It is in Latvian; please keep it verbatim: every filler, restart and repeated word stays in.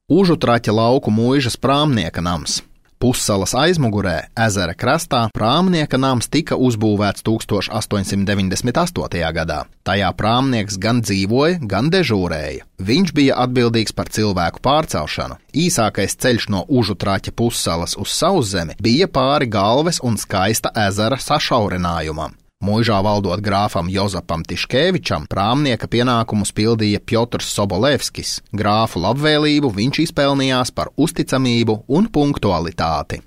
Užutraķa lauku muižas prāmnieka nams. Pussalas aizmugurē, ezera krastā, prāmnieka nams tika uzbūvēts tūkstoš astoņsimt deviņdesmit astotajā gadā. Tajā prāmnieks gan dzīvoja, gan dežūrēja. Viņš bija atbildīgs par cilvēku pārcelšanu. Īsākais ceļš no Užutraķa pussalas uz Sauszemi bija pāri Galves un Skaista ezera sašaurinājumam. Muižā valdot grāfam Jozapam Tiškēvičam, prāmnieka pienākumus pildīja Pjotrs Sobolevskis. Grāfu labvēlību viņš izpelnījās par uzticamību un punktualitāti.